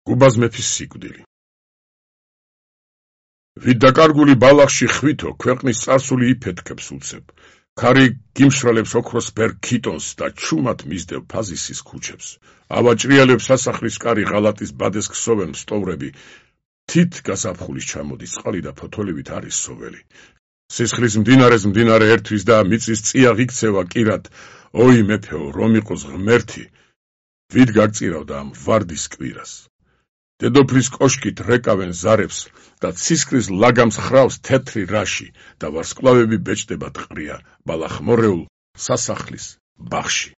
გუბაზ მეფის სიკვდილი. ვით დაკარგული ბალახში ხვითო, ქვეყნის წარსული იფეთქებს უცებ. ქარი გიმშრალებს ოქროს ბერ ქიტონს და ჩუმად მისდევ ფაზისის ქუჩებს. ავაჭრიელებს სასახლის კარი ღალატის ბადეს ქსოვენ სტოვრები. თით გასაფხულის ჩამოდის წყალი და ფოთოლივით არის სოველი. სისხლის მდინარეს მდინარე ერთვის და მიწის წია ღიქცევა კირად. ოი მეფეო, რომ იყოს ღმერთი, ვით გაგწირავდა ამ ვარდის კვირას. დედოფლის კოშკით რეკავენ ზარებს და ცისკრის ლაგამს ხრავს თეთრი რაში და ვარსკვლავები ბეჭდება ტყრია ბალახმორეულ სასახლის ბაღში.